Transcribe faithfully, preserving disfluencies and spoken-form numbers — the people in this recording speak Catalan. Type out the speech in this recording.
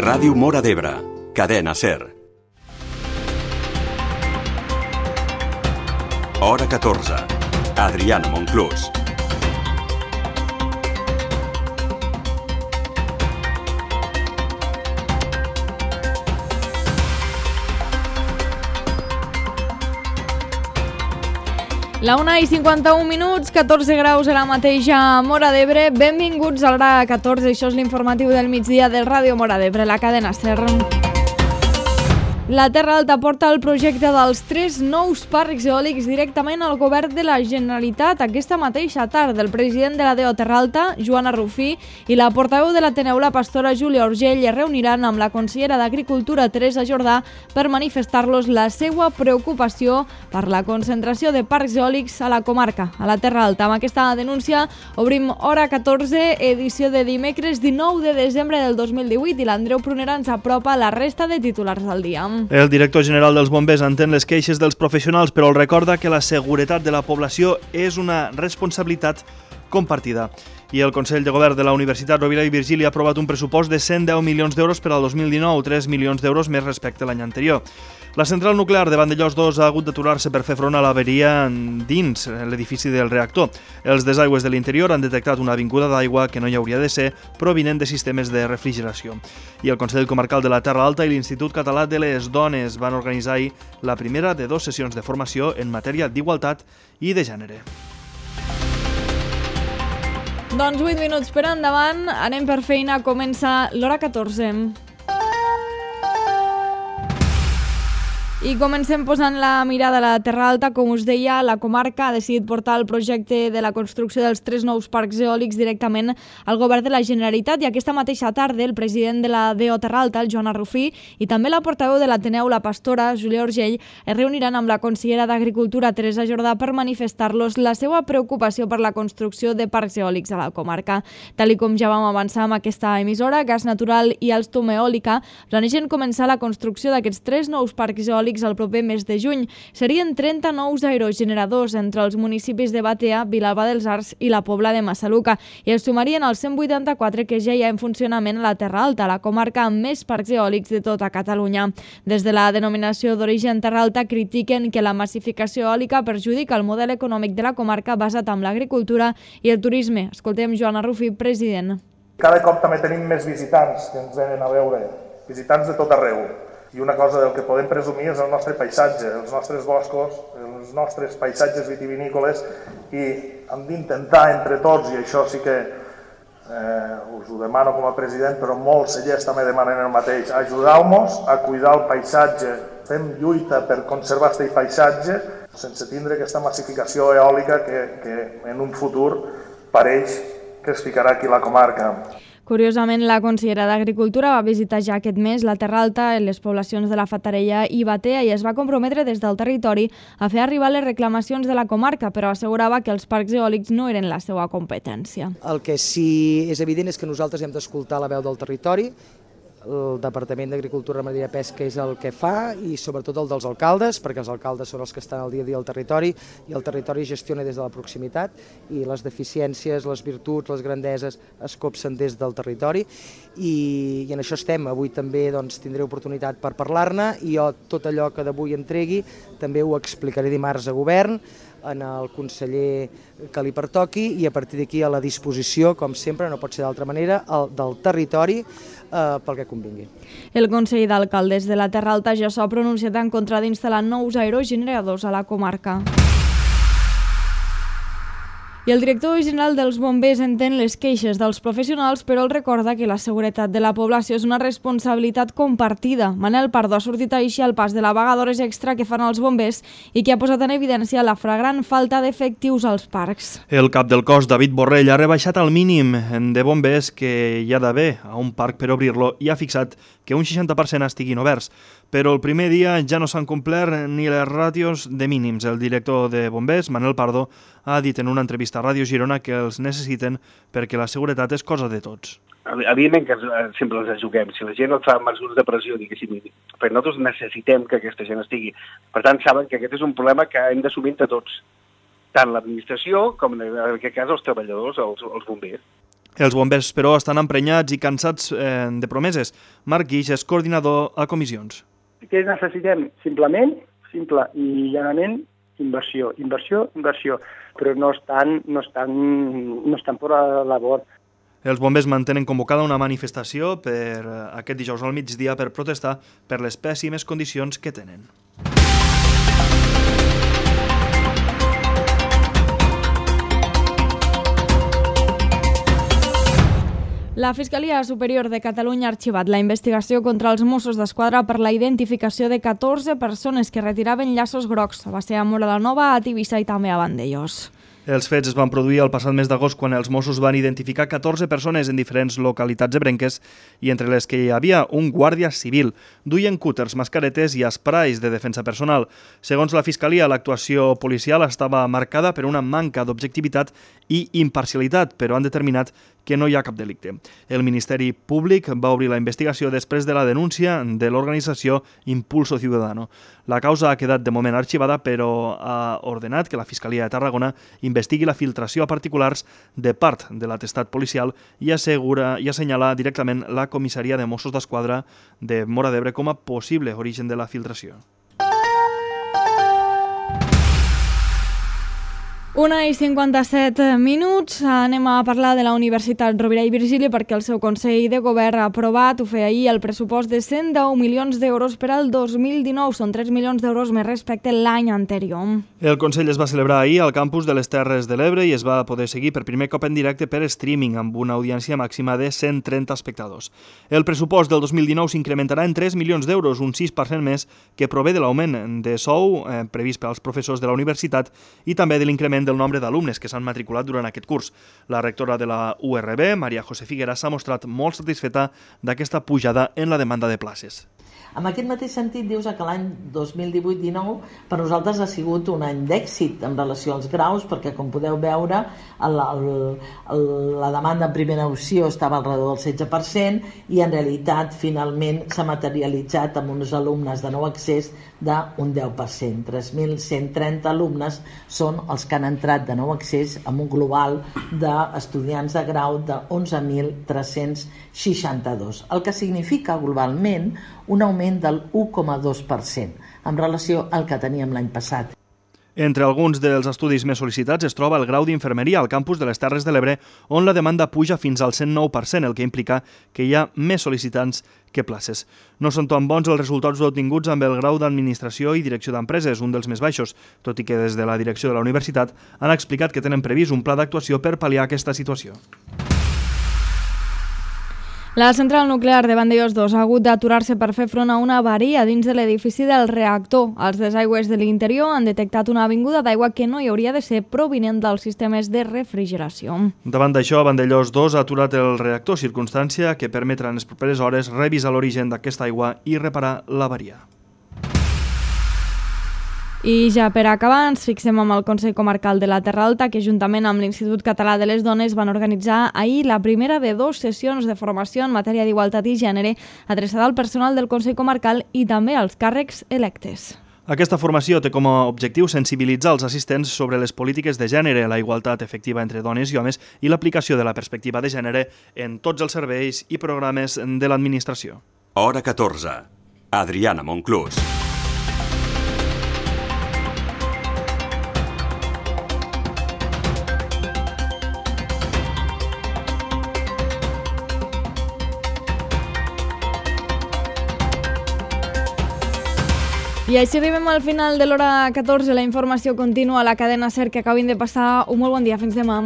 Ràdio Móra d'Ebre, Cadena SER. Hora catorze. Adriana Monclús. La una i cinquanta-un minuts, catorze graus ara mateix a Móra d'Ebre. Benvinguts a l'hora catorze, això és l'informatiu del migdia del Ràdio Móra d'Ebre, la cadena SER. La Terra Alta porta el projecte dels tres nous parcs eòlics directament al govern de la Generalitat. Aquesta mateixa tarda, el president de la D O Terra Alta, Joana Rufí, i la portaveu de l'Ateneu, la pastora Júlia Orgell, es reuniran amb la consellera d'Agricultura, Teresa Jordà, per manifestar-los la seva preocupació per la concentració de parcs eòlics a la comarca, a la Terra Alta. Amb aquesta denúncia obrim Hora catorze, edició de dimecres dinou de desembre del dos mil divuit, i l'Andreu Prunera ens apropa la resta de titulars del dia. El director general dels bombers entén les queixes dels professionals, però el recorda que la seguretat de la població és una responsabilitat compartida. I el Consell de Govern de la Universitat Rovira i Virgili ha aprovat un pressupost de cent deu milions d'euros per al dos mil dinou, tres milions d'euros més respecte a l'any anterior. La central nuclear de Vandellòs dos ha hagut d'aturar-se per fer front a l'averia dins l'edifici del reactor. Els desaigües de l'interior han detectat una vinguda d'aigua que no hi hauria de ser, provinent de sistemes de refrigeració. I el Consell Comarcal de la Terra Alta i l'Institut Català de les Dones van organitzar ahir la primera de dues sessions de formació en matèria d'igualtat i de gènere. Doncs vuit minuts per endavant, anem per feina, comença l'hora catorze. I comencem posant la mirada a la Terra Alta. Com us deia, la comarca ha decidit portar el projecte de la construcció dels tres nous parcs eòlics directament al govern de la Generalitat, i aquesta mateixa tarda el president de la D O Terra Alta, el Joana Rufí, i també la portaveu de l'Ateneu, la pastora Júlia Orgell, es reuniran amb la consellera d'Agricultura, Teresa Jordà, per manifestar-los la seva preocupació per la construcció de parcs eòlics a la comarca. Tal com ja vam avançar amb aquesta emissora, Gas Natural i Alstom Eòlica planegen començar la construcció d'aquests tres nous parcs eòlics el proper mes de juny. Serien trenta nous aerogeneradors entre els municipis de Batea, Vilalba dels Arcs i la Pobla de Massaluca, i es sumarien als cent vuitanta-quatre que ja hi ha en funcionament a la Terra Alta, la comarca amb més parcs eòlics de tota Catalunya. Des de la denominació d'origen Terra Alta critiquen que la massificació eòlica perjudica el model econòmic de la comarca basat en l'agricultura i el turisme. Escoltem Joana Rufí, president. Cada cop també tenim més visitants que ens venen a veure, visitants de tot arreu. I una cosa del que podem presumir és el nostre paisatge, els nostres boscos, els nostres paisatges vitivinícoles, i hem d'intentar entre tots, i això sí que eh, us ho demano com a president, però molts cellers també demanen el mateix, ajudeu-nos a cuidar el paisatge, fem lluita per conservar aquest paisatge sense tindre aquesta massificació eòlica que, que en un futur pareix que es ficarà aquí a la comarca. Curiosament, la consellera d'Agricultura va visitar ja aquest mes la Terra Alta, en les poblacions de la Fatarella i Batea, i es va comprometre des del territori a fer arribar les reclamacions de la comarca, però assegurava que els parcs eòlics no eren la seva competència. El que sí és evident és que nosaltres hem d'escoltar la veu del territori. El Departament d'Agricultura, Ramaderia i Pesca és el que fa, i sobretot el dels alcaldes, perquè els alcaldes són els que estan al dia a dia al territori, i el territori gestiona des de la proximitat, i les deficiències, les virtuts, les grandeses es copsen des del territori, i, i en això estem. Avui també doncs, tindré oportunitat per parlar-ne, i jo tot allò que d'avui entregui també ho explicaré dimarts a govern, en el conseller que li pertoqui, i a partir d'aquí a la disposició, com sempre, no pot ser d'altra manera, el, del territori eh, pel que convingui. El Consell d'Alcaldes de la Terra Alta ja s'ha pronunciat en contra d'instal·lar nous aerogeneradors a la comarca. I el director general dels bombers entén les queixes dels professionals, però el recorda que la seguretat de la població és una responsabilitat compartida. Manel Pardo ha sortit així al pas de la vaga d'hores extra que fan els bombers i que ha posat en evidència la flagrant falta d'efectius als parcs. El cap del cos, David Borrell, ha rebaixat al mínim de bombers que hi ha d'haver a un parc per obrir-lo i ha fixat que un seixanta per cent estiguin oberts. Però el primer dia ja no s'han complert ni les ràtios de mínims. El director de bombers, Manel Pardo, ha dit en una entrevista a Ràdio Girona que els necessiten perquè la seguretat és cosa de tots. Evidentment que sempre els juguem. Si la gent et fa mesures de pressió, diguéssim, perquè nosaltres necessitem que aquesta gent estigui. Per tant, saben que aquest és un problema que hem d'assumir entre tots, tant l'administració com en aquest cas els treballadors, els, els bombers. Els bombers, però, estan emprenyats i cansats eh, de promeses. Marc Guix és coordinador a comissions. Què necessitem? Simplement, simple i llanament, inversió, inversió, inversió, però no estan, no estan, no estan per la labor. Els bombers mantenen convocada una manifestació per aquest dijous al migdia per protestar per les pèssimes condicions que tenen. La Fiscalia Superior de Catalunya ha arxivat la investigació contra els Mossos d'Esquadra per la identificació de catorze persones que retiraven llaços grocs. Va ser a Móra la Nova, a Tivissa i també a Vandellòs. Els fets es van produir el passat mes d'agost quan els Mossos van identificar catorze persones en diferents localitats ebrenques i entre les que hi havia un guàrdia civil. Duien cúters, mascaretes i esprais de defensa personal. Segons la Fiscalia, l'actuació policial estava marcada per una manca d'objectivitat i imparcialitat, però han determinat que no hi ha cap delicte. El Ministeri Públic va obrir la investigació després de la denúncia de l'organització Impulso Ciudadano. La causa ha quedat de moment arxivada, però ha ordenat que la Fiscalia de Tarragona investigui la filtració a particulars de part de l'atestat policial i assegura i assenyala directament la comissaria de Mossos d'Esquadra de Móra d'Ebre com a possible origen de la filtració. Una i cinquanta-set minuts. Anem a parlar de la Universitat Rovira i Virgili perquè el seu Consell de Govern ha aprovat, ho feia ahir, el pressupost de cent deu milions d'euros per al dos mil dinou. Són tres milions d'euros més respecte a l'any anterior. El Consell es va celebrar ahir al campus de les Terres de l'Ebre i es va poder seguir per primer cop en directe per streaming amb una audiència màxima de cent trenta espectadors. El pressupost del dos mil dinou s'incrementarà en tres milions d'euros, un sis per cent més, que prové de l'augment de sou eh, previst per als professors de la universitat i també de l'increment del nombre d'alumnes que s'han matriculat durant aquest curs. La rectora de la U R B, Maria José Figueras, s'ha mostrat molt satisfeta d'aquesta pujada en la demanda de places. En aquest mateix sentit, dius que l'any dos mil divuit dinou per nosaltres ha sigut un any d'èxit en relació als graus, perquè com podeu veure el, el, el, la demanda en primera opció estava al redor del setze per cent i en realitat finalment s'ha materialitzat amb uns alumnes de nou accés d'un deu per cent. tres mil cent trenta alumnes són els que han entrat de nou accés amb un global d'estudiants de grau de onze mil tres-cents seixanta-dos, el que significa globalment un augment del u coma dos per cent en relació al que teníem l'any passat. Entre alguns dels estudis més sol·licitats es troba el grau d'infermeria al campus de les Terres de l'Ebre, on la demanda puja fins al cent nou per cent, el que implica que hi ha més sol·licitants que places. No són tan bons els resultats obtinguts amb el grau d'administració i direcció d'empreses, un dels més baixos, tot i que des de la direcció de la universitat han explicat que tenen previst un pla d'actuació per pal·liar aquesta situació. La central nuclear de Vandellòs dos ha hagut d'aturar-se per fer front a una avaria dins de l'edifici del reactor. Els desaigües de l'interior han detectat una avinguda d'aigua que no hi hauria de ser provinent dels sistemes de refrigeració. Davant d'això, Vandellòs dos ha aturat el reactor, circumstància que permetrà en les properes hores revisar l'origen d'aquesta aigua i reparar l'avaria. I ja per acabar ens fixem amb el Consell Comarcal de la Terra Alta, que juntament amb l'Institut Català de les Dones van organitzar ahir la primera de dues sessions de formació en matèria d'igualtat i gènere adreçada al personal del Consell Comarcal i també als càrrecs electes. Aquesta formació té com a objectiu sensibilitzar els assistents sobre les polítiques de gènere, la igualtat efectiva entre dones i homes i l'aplicació de la perspectiva de gènere en tots els serveis i programes de l'administració. Hora catorze. Adriana Monclús. I així arribem al final de l'hora catorze. La informació continua a la cadena SER, que acabin de passar un molt bon dia. Fins demà.